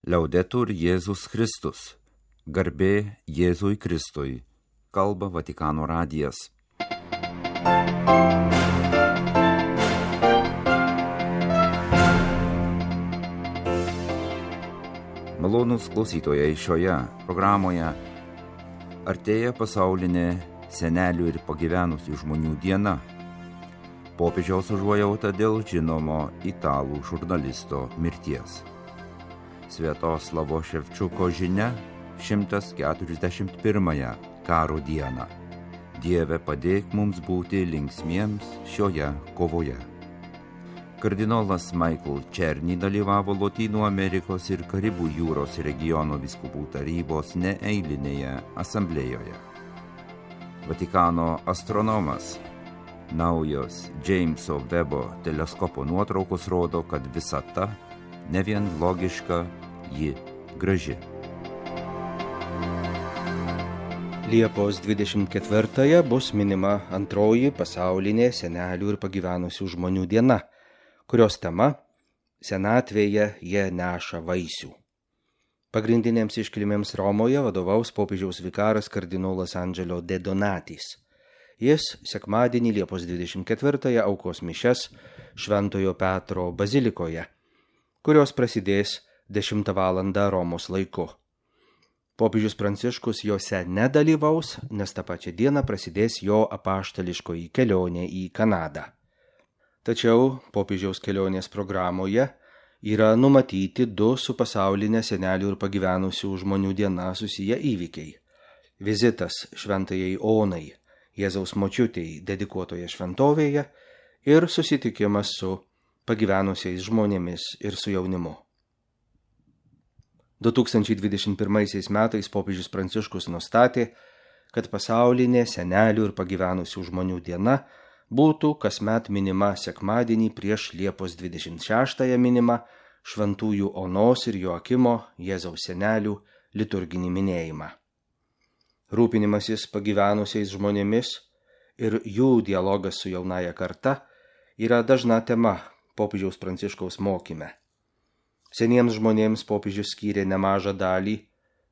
Liaudetur Jėzus Kristus. Garbė Jėzui Kristui. Kalba Vatikano radijas. Malonūs klausytojai, šioje programoje artėja pasaulinė senelių ir pagyvenusių žmonių diena. Popiežiaus užuojauta dėl žinomo italų žurnalisto mirties. Sviatoslavo Ševčiuko žinia 141 karo dieną. Dieve, padėk mums būti linksmiems šioje kovoje. Kardinolas Michael Černy dalyvavo Lotynų Amerikos ir Karibų jūros regiono vyskupų tarybos neeilinėje asamblėjoje. Vatikano astronomas. Naujos Jameso Webo teleskopo nuotraukos rodo, kad visata ne vien logiška, ji graži. Liepos 24 bus minima antroji pasaulinė senelių ir pagyvenusių žmonių diena, kurios tema – senatvėje jie neša vaisių. Pagrindinėms iškilmėms Romoje vadovaus popiežiaus vikaras kardinolas Angelo De Donatis. Jis sekmadienį Liepos 24 aukos mišias Šventojo Petro bazilikoje, kurios prasidės 10 val. Romos laiku. Popiežius Pranciškus jose nedalyvaus, nes tą pačią dieną prasidės jo apaštališkoji kelionė į Kanadą. Tačiau popiežiaus kelionės programoje yra numatyti 2 su pasaulinė senelių ir pagyvenusių žmonių diena susiję įvykiai. Vizitas šventajai Onai, Jėzaus močiutei dedikuotoje šventovėje ir susitikimas su pagyvenusiais žmonėmis ir su jaunimu. 2021 metais popiežius Pranciškus nustatė, kad pasaulinė senelių ir pagyvenusių žmonių diena būtų kasmet minima sekmadienį prieš Liepos 26 minimą šventųjų Onos ir Joakimo Jėzaus senelių liturginį minėjimą. Rūpinimasis pagyvenusiais žmonėmis ir jų dialogas su jaunaja karta yra dažna tema popiežiaus Pranciškaus mokyme. Seniems žmonėms popiežius skyrė nemažą dalį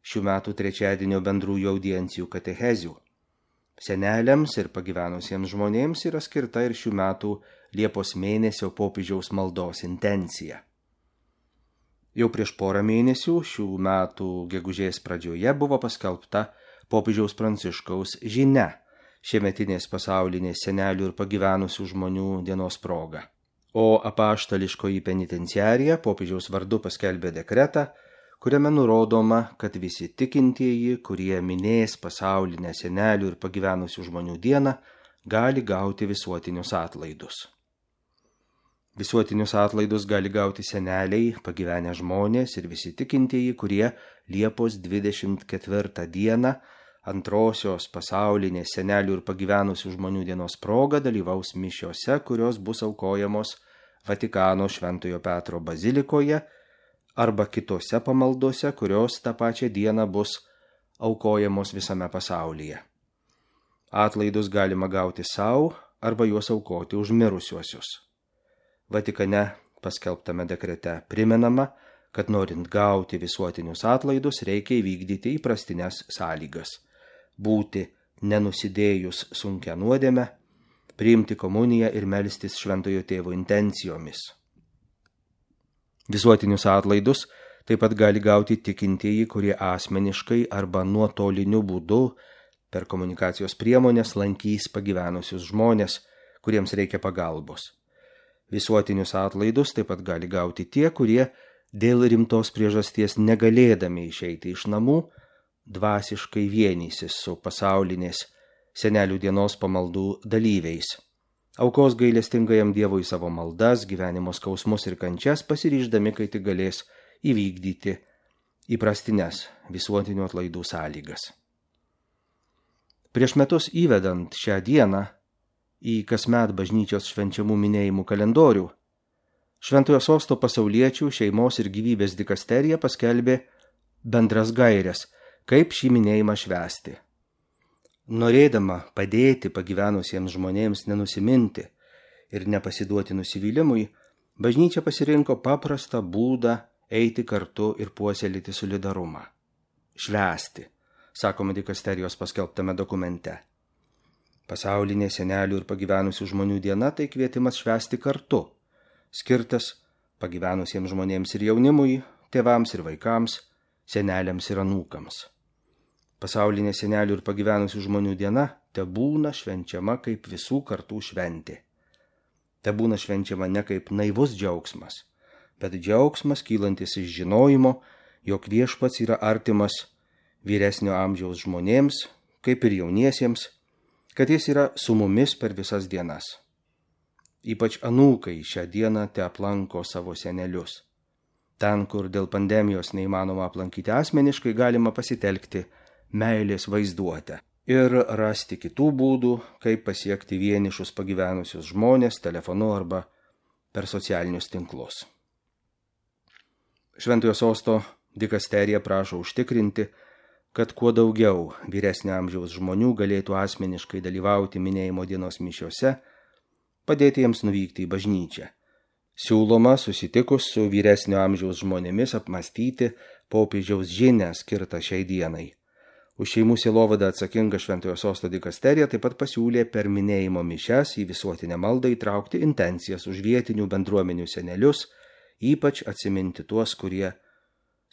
šių metų trečiadienio bendrųjų audiencijų katechezių. Seneliams ir pagyvenusiems žmonėms yra skirta ir šių metų Liepos mėnesio popiežiaus maldos intencija. Jau prieš porą mėnesių šių metų gegužės pradžioje buvo paskelbta popiežiaus Pranciškaus žinia šiemetinės pasaulinės senelių ir pagyvenusių žmonių dienos proga. O apaštališkoji penitenciarija popiežiaus vardu paskelbė dekretą, kuriame nurodoma, kad visi tikintieji, kurie minės pasaulinę senelių ir pagyvenusių žmonių dieną, gali gauti visuotinius atlaidus. Visuotinius atlaidus gali gauti seneliai, pagyvenę žmonės ir visi tikintieji, kurie Liepos 24 dieną antrosios pasaulinės senelių ir pagyvenusių žmonių dienos proga dalyvaus mišiose, kurios bus aukojamos Vatikano Šventojo Petro bazilikoje arba kitose pamaldose, kurios tą pačią dieną bus aukojamos visame pasaulyje. Atlaidus galima gauti savo arba juos aukoti už mirusiuosius. Vatikane paskelbtame dekrete primenama, kad norint gauti visuotinius atlaidus reikia įvykdyti įprastines sąlygas. Būti nenusidėjus sunkią nuodėmę, priimti komuniją ir melstis šventojo tėvo intencijomis. Visuotinius atlaidus taip pat gali gauti tikintieji, kurie asmeniškai arba nuotoliniu būdu per komunikacijos priemonės lankys pagyvenusius žmonės, kuriems reikia pagalbos. Visuotinius atlaidus taip pat gali gauti tie, kurie dėl rimtos priežasties negalėdami išeiti iš namų, dvasiškai vienysis su pasaulinės senelių dienos pamaldų dalyviais. Aukos gailestingajam Dievui savo maldas, gyvenimo skausmus ir kančias, pasiryždami, kai tik galės įvykdyti įprastines visuotinių atlaidų sąlygas. Prieš metus įvedant šią dieną į kasmet bažnyčios švenčiamų minėjimų kalendorių, Šventojo Sosto pasauliečių šeimos ir gyvybės dikasterija paskelbė bendras gaires, kaip šį minėjimą švęsti. Norėdama padėti pagyvenusiems žmonėms nenusiminti ir nepasiduoti nusivylimui, bažnyčia pasirinko paprastą būdą eiti kartu ir puoselėti solidarumą. Švęsti, sakoma dikasterijos paskelbtame dokumente. Pasaulinė senelių ir pagyvenusių žmonių diena tai kvietimas švęsti kartu, skirtas pagyvenusiems žmonėms ir jaunimui, tėvams ir vaikams, seneliams ir anūkams. Pasaulinė senelių ir pagyvenusių žmonių diena tebūna švenčiama kaip visų kartų šventė. Tebūna švenčiama ne kaip naivus džiaugsmas, bet džiaugsmas kylantis iš žinojimo, jog Viešpats yra artimas vyresnio amžiaus žmonėms, kaip ir jauniesiems, kad jis yra su mumis per visas dienas. Ypač anūkai šią dieną te aplanko savo senelius. Ten, kur dėl pandemijos neįmanoma aplankyti asmeniškai, galima pasitelkti meilės vaizduotę ir rasti kitų būdų, kaip pasiekti vienišus pagyvenusius žmonės telefonu arba per socialinius tinklus. Šventojo sosto dikasterija prašo užtikrinti, kad kuo daugiau vyresnio amžiaus žmonių galėtų asmeniškai dalyvauti minėjimo dienos mišiose, padėti jiems nuvykti į bažnyčią. Siūloma susitikus su vyresnio amžiaus žmonėmis apmastyti popiežiaus žinią skirtą šiai dienai. Už šeimų sielovadą atsakinga Šventojo sosto dikasterija taip pat pasiūlė per minėjimo mišias į visuotinę maldą įtraukti intencijas už vietinių bendruomenių senelius, ypač atsiminti tuos, kurie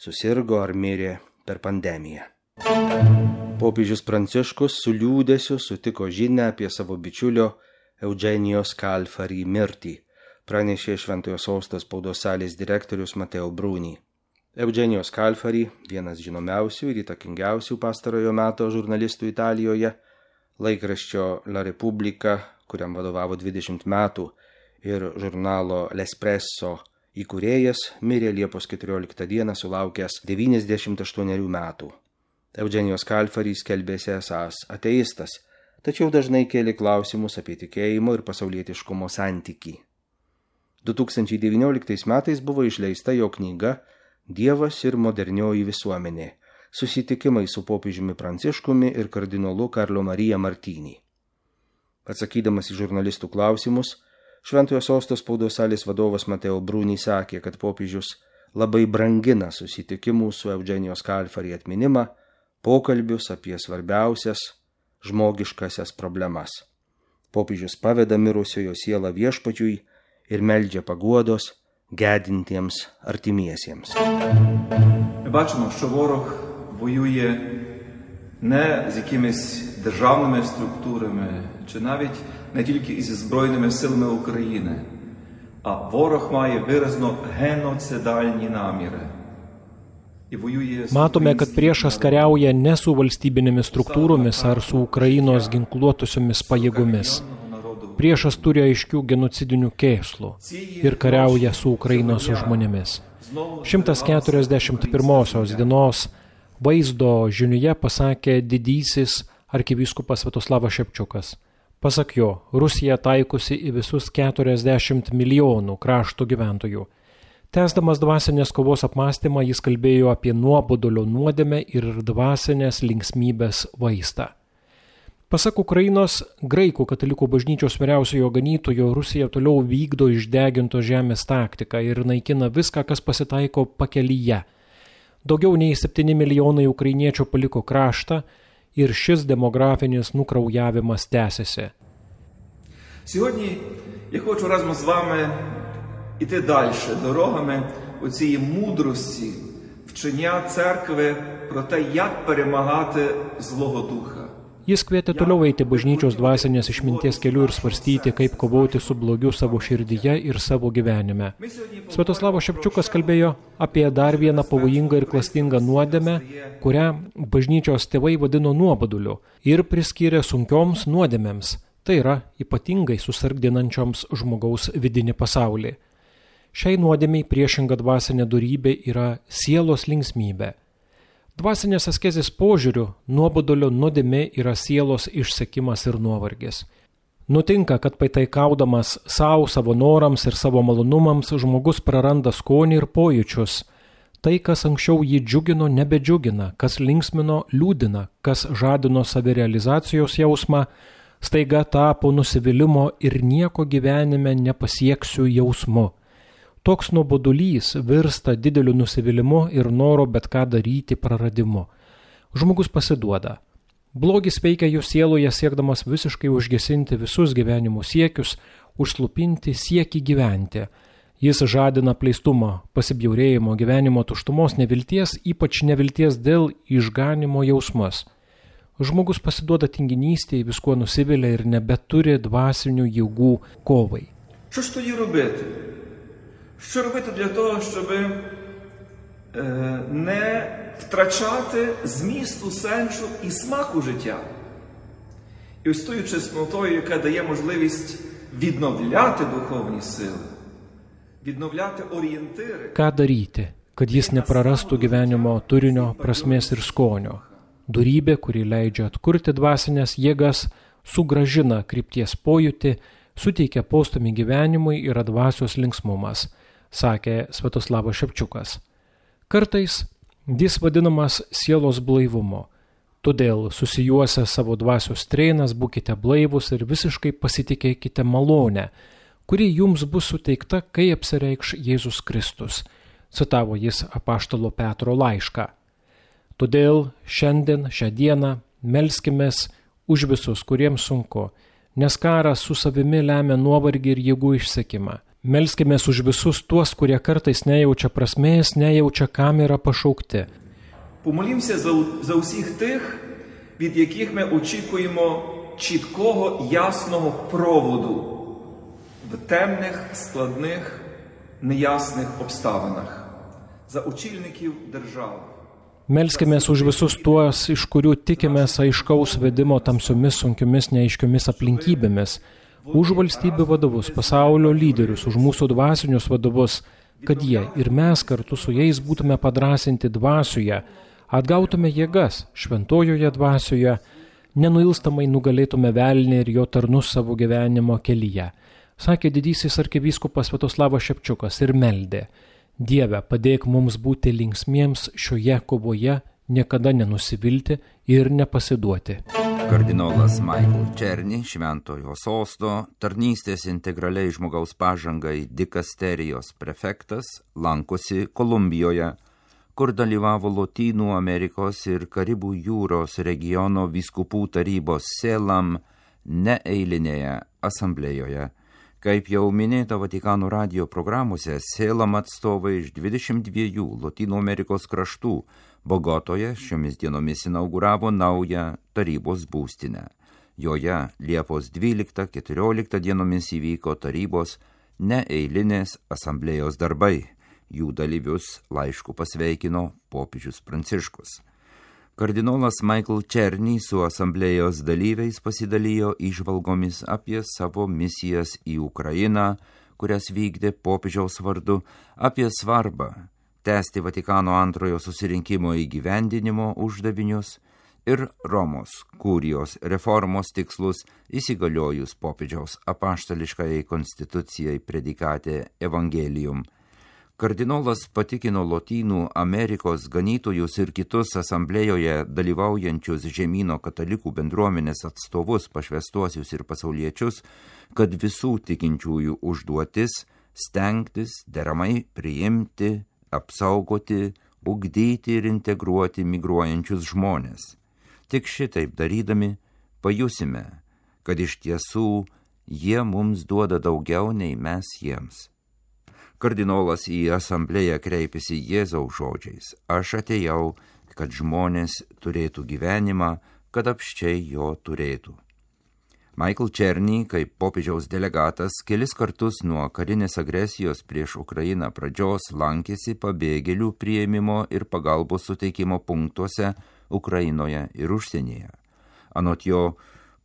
susirgo ar mirė per pandemiją. Popiežius Pranciškus su liūdesiu sutiko žinią apie savo bičiulio Eugenijos Scalfari mirtį, pranešė Šventojo sosto spaudos salės direktorius Matteo Bruni. Eugenijos Scalfari, vienas žinomiausių ir įtakingiausių pastarojo meto žurnalistų Italijoje, laikraščio La Repubblica, kuriam vadovavo 20 metų, ir žurnalo L'Espresso įkūrėjas, mirė Liepos 14 dieną sulaukęs 98 metų. Eugenijos Scalfari skelbėsi esąs ateistas, tačiau dažnai kėlė klausimus apie tikėjimo ir pasaulietiškumo santykį. 2019 metais buvo išleista jo knyga Dievas ir modernioji visuomenė – susitikimai su popiežiumi Pranciškumi ir kardinolu Karlo Marija Martini. Atsakydamas į žurnalistų klausimus, Šventojo sosto spaudos salės vadovas Matteo Bruni sakė, kad popiežius labai brangina susitikimų su Eugenijos Scalfari atminimą, pokalbius apie svarbiausias žmogiškasias problemas. Popiežius paveda mirusiojo sielą Viešpačiui ir meldžia paguodos gedintiems artimiesiems. Бачимо, що ворог воює не з якимись державними структурами, чи навіть не тільки із Збройними силами України, а ворог має виразно геноцидальні наміри. Matome, kad priešas kariauja ne su valstybinėmis struktūromis ar su Ukrainos ginkluotusiomis pajėgomis. Priešas turi aiškių genocidinių kėslų ir kariauja su Ukrainos žmonėmis. 141 dienos vaizdo žiniuje pasakė didysis arkivyskupas Sviatoslavas Šepčiukas. Pasak jo, Rusija taikosi į visus 40 milijonų krašto gyventojų. Tęsdamas dvasinės kovos apmąstymą, jis kalbėjo apie nuobodulio nuodėmę ir dvasinės linksmybės vaistą. Pasak Ukrainos graikų katalikų bažnyčios vyriausiojo ganytojo, Rusija toliau vykdo išdegintos žemės taktiką ir naikina viską, kas pasitaiko pakelyje. Daugiau nei 7 milijonai ukrainiečių paliko kraštą ir šis demografinis nukraujavimas tęsiasi. Сьогодні я хочу разом з вами іти далі дорогами оцієї мудрості, вчення церкви про те, як перемагати Злого Духа. Jis kvietė toliau eiti bažnyčios dvasinės išminties keliu ir svarstyti, kaip kovoti su blogiu savo širdyje ir savo gyvenime. Sviatoslavas Šepčiukas kalbėjo apie dar vieną pavojingą ir klastingą nuodėmę, kurią bažnyčios tėvai vadino nuoboduliu ir priskyrė sunkioms nuodėmėms, tai yra ypatingai susargdinančioms žmogaus vidinį pasaulį. Šiai nuodėmiai priešinga dvasinė dorybė yra sielos linksmybė. Dvasinės askezės požiūriu nuobodulio nuodėmė yra sielos išsekimas ir nuovargis. Nutinka, kad pataikaudamas savo norams ir savo malonumams žmogus praranda skonį ir pojūčius. Tai, kas anksčiau jį džiugino, nebedžiugina, kas linksmino, liūdina, kas žadino savirealizacijos jausmą, staiga tapo nusivylimo ir nieko gyvenime nepasieksiu jausmu. toks nuobodulys virsta dideliu nusivylimu ir noro bet ką daryti praradimu. Žmogus pasiduoda. Blogis veikia jo sieloje siekdamas visiškai užgesinti visus gyvenimo siekius, užslupinti siekį gyventi. Jis žadina pleistumą, pasibjaurėjimo, gyvenimo tuštumos, nevilties, ypač nevilties dėl išganimo jausmus. Žmogus pasiduoda tinginystėje, viskuo nusivilia ir nebeturi dvasinių jėgų kovai. Що ж тоді робити? Що робити для того, щоб не втрачати змісту, сенсу і смаку життя? І ось тою чеснотою, яка дає можливість відновляти духовні сили, відновляти орієнтири. Ką daryti, kad jis neprarastų gyvenimo turinio, prasmės ir skonio? Dorybė, kuri leidžia atkurti dvasinės jėgas, sugrąžina krypties pojūtį, suteikia postumį gyvenimui ir dvasios linksmumas, sakė Sviatoslavas Šepčiukas. Kartais jis vadinamas sielos blaivumu. Todėl susijuosę savo dvasios treinas būkite blaivus ir visiškai pasitikėkite malonę, kuri jums bus suteikta, kai apsireikš Jėzus Kristus, citavo jis apaštalo Petro laišką. Todėl šiandien, šią dieną melskimės už visus, kuriems sunku, nes karas su savimi lemia nuovargį ir jėgų išsekimą. Melskimės už visus tuos, kurie kartais nejaučia prasmės, nejaučia, kam yra pašaukti. Помолімося за усіх тих, від яких ми очікуємо чіткого, ясного проводу в темних, складних, неясних обставинах. За очільників держави. Melskimės už visus tuos, iš kurių tikimės aiškaus vedimo tamsiomis, sunkiomis, neaiškiomis aplinkybėmis, už valstybių vadovus, pasaulio lyderius, už mūsų dvasinius vadovus, kad jie ir mes kartu su jais būtume padrasinti dvasioje, atgautume jėgas šventojoje dvasioje, nenuilstamai nugalėtume velnį ir jo tarnus savo gyvenimo kelyje, sakė didysis arkivyskupas Sviatoslavas Šepčiukas ir meldė. Dieve, padėk mums būti linksmiems šioje kovoje, niekada nenusivilti ir nepasiduoti. Kardinolas Michael Černy, Šventojo sosto, tarnystės integraliai žmogaus pažangai dikasterijos prefektas, lankosi Kolumbijoje, kur dalyvavo Lotynų Amerikos ir Karibų jūros regiono vyskupų tarybos Selam neeilinėje asamblėjoje. Kaip jau minėta Vatikano radijo programuose, Selam atstovai iš 22 Lotynų Amerikos kraštų Bogotoje šiomis dienomis inauguravo naują tarybos būstinę. Joje Liepos 12-14 dienomis įvyko tarybos neeilinės asamblėjos darbai. Jų dalyvius laišku pasveikino popiežius Pranciškus. Kardinolas Michael Černy su asamblėjos dalyviais pasidalijo įžvalgomis apie savo misijas į Ukrainą, kurias vykdė popiežiaus vardu, apie svarbą tęsti Vatikano antrojo susirinkimo įgyvendinimo uždavinius ir Romos kurijos reformos tikslus įsigaliojus popiežiaus apaštališkajai konstitucijai predikate Evangelium. Kardinolas patikino Lotynų Amerikos ganytojus ir kitus asamblėjoje dalyvaujančius žemyno katalikų bendruomenės atstovus, pašvęstuosius ir pasauliečius, kad visų tikinčiųjų užduotis stengtis deramai priimti, apsaugoti, ugdyti ir integruoti migruojančius žmonės. Tik šitaip darydami pajusime, kad iš tiesų jie mums duoda daugiau nei mes jiems. Kardinolas į asamblėją kreipėsi Jėzaus žodžiais: aš atėjau, kad žmonės turėtų gyvenimą, kad apsčiai jo turėtų. Michael Černy, kaip popiežiaus delegatas, kelis kartus nuo karinės agresijos prieš Ukrainą pradžios lankėsi pabėgėlių priėmimo ir pagalbos suteikimo punktuose Ukrainoje ir užsienyje. Anot jo,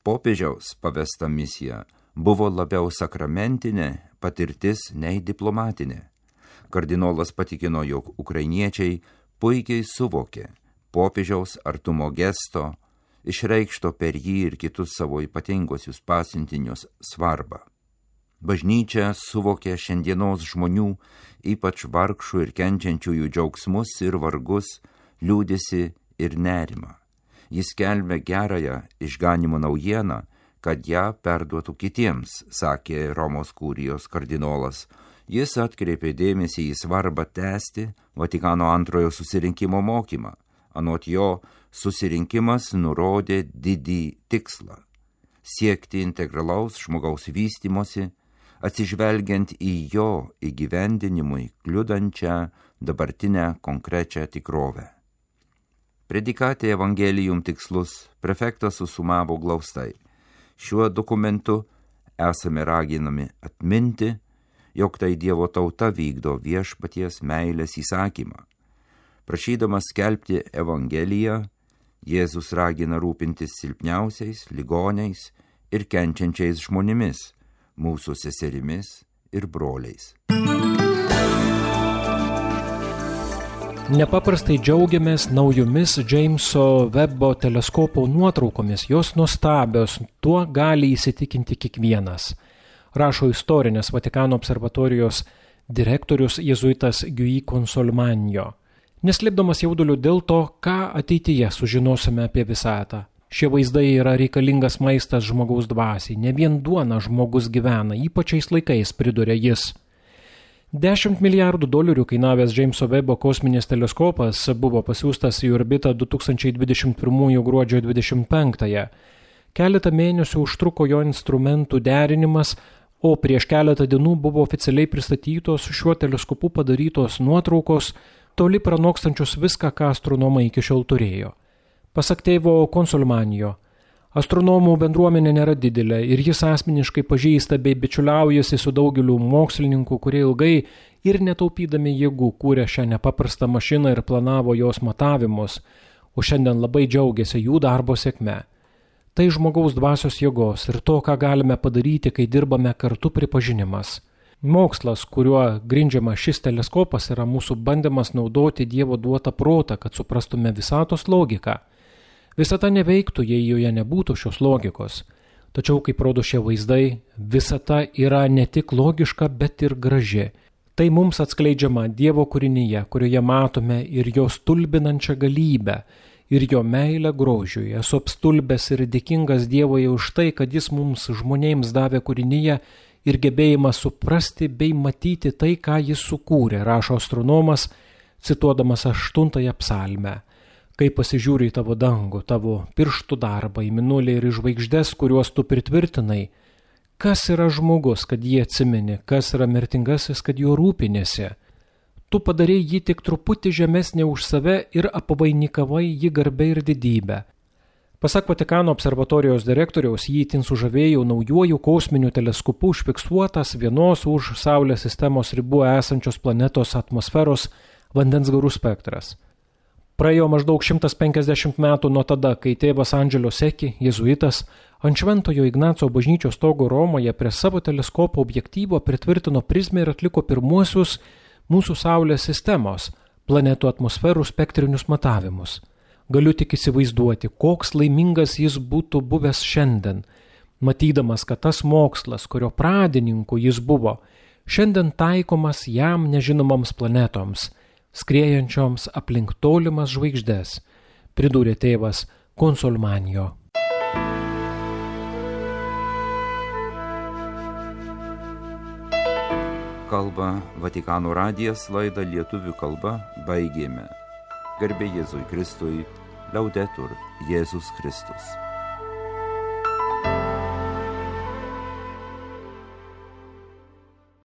popiežiaus pavesta misija buvo labiau sakramentinė patirtis nei diplomatinė. Kardinolas patikino, jog ukrainiečiai puikiai suvokė popiežiaus artumo gesto, išreikšto per jį ir kitus savo ypatingosius pasiuntinius svarbą. Bažnyčia suvokė šiandienos žmonių, ypač vargšų ir kenčiančiųjų džiaugsmus ir vargus, liūdesį ir nerimą. Jis skelbė gerąją išganimo naujieną, kad ją perduotų kitiems, sakė Romos kurijos kardinolas. Jis atkreipė dėmesį į svarbą tęsti Vatikano antrojo susirinkimo mokymą. Anot jo, susirinkimas nurodė didį tikslą – siekti integralaus žmogaus vystymosi, atsižvelgiant į jo įgyvendinimui kliudančią dabartinę konkrečią tikrovę. Predikatė Evangelijum tikslus prefektas susumavo glaustai. Šiuo dokumentu esame raginami atminti, jog tai Dievo tauta vykdo viešpaties meilės įsakymą. Prašydamas skelbti Evangeliją, Jėzus ragina rūpintis silpniausiais, ligoniais ir kenčiančiais žmonėmis, mūsų seserimis ir broliais. Nepaprastai džiaugiamės naujomis Jameso Webbo teleskopo nuotraukomis, jos nuostabios, tuo gali įsitikinti kiekvienas. Rašo istorinės Vatikano observatorijos direktorius jėzuitas Guy Consolmagno. Neslėpdamas jauduliu dėl to, ką ateityje sužinosime apie visatą. Šie vaizdai yra reikalingas maistas žmogaus dvasiai, ne vien duona žmogus gyvena, ypač šiais laikais, priduria jis. $10 milijardų kainavęs Jameso Webbo kosminis teleskopas buvo pasiųstas į orbitą 2021 gruodžio 25-ąją. Keletą mėnesių užtruko jo instrumentų derinimas, o prieš keletą dienų buvo oficialiai pristatytos šiuo teleskopu padarytos nuotraukos, toli pranokstančios viską, ką astronomai iki šiol turėjo. Pasak tėvo Consolmagno, astronomų bendruomenė nėra didelė ir jis asmeniškai pažįsta bei bičiuliaujasi su daugeliu mokslininkų, kurie ilgai ir netaupydami jėgų kūrė šią nepaprastą mašiną ir planavo jos matavimus, o šiandien labai džiaugiasi jų darbo sėkme. Tai žmogaus dvasios jėgos ir to, ką galime padaryti, kai dirbame kartu, pripažinimas. Mokslas, kuriuo grindžiama šis teleskopas, yra mūsų bandymas naudoti Dievo duotą protą, kad suprastume visatos logiką. Visata neveiktų, jei joje nebūtų šios logikos. Tačiau, kaip rodo šie vaizdai, visata yra ne tik logiška, bet ir graži. Tai mums atskleidžiama Dievo kūrinyje, kurioje matome ir jo stulbinančią galybę, ir jo meilę grožiui. Esu apstulbęs ir dėkingas Dievui už tai, kad jis mums žmonėms davė kūrinyje ir gebėjimą suprasti bei matyti tai, ką jis sukūrė, rašo astronomas, cituodamas 8 psalmę. Kai pasižiūri į tavo dangų, tavo pirštų darbą, į mėnulį ir į žvaigždes, kuriuos tu pritvirtinai, kas yra žmogus, kad jį atsimeni, kas yra mirtingasis, kad juo rūpinėsi. Tu padarei jį tik truputį žemesnį už save ir apvainikavai jį garbę ir didybę. Pasak Vatikano observatorijos direktoriaus, jį itin sužavėjo naujuoju kosminiu teleskopu užfiksuotas vienos už Saulės sistemos ribų esančios planetos atmosferos vandens garų spektras. Praėjo maždaug 150 metų nuo tada, kai tėvas Angelo Secchi, jėzuitas, ant Šventojo Ignaco bažnyčios stogo Romoje prie savo teleskopo objektyvo pritvirtino prizmę ir atliko pirmuosius mūsų Saulės sistemos planetų atmosferų spektrinius matavimus. Galiu tik įsivaizduoti, koks laimingas jis būtų buvęs šiandien, matydamas, kad tas mokslas, kurio pradininku jis buvo, šiandien taikomas jam nežinomoms planetoms, skriejančioms aplink tolimas žvaigždes, pridūrė tėvas Consolmagno. Kalba Vatikano radijas, laidą lietuvių kalba baigėme. Garbė Jėzui Kristui, Laudetur Jėzus Kristus.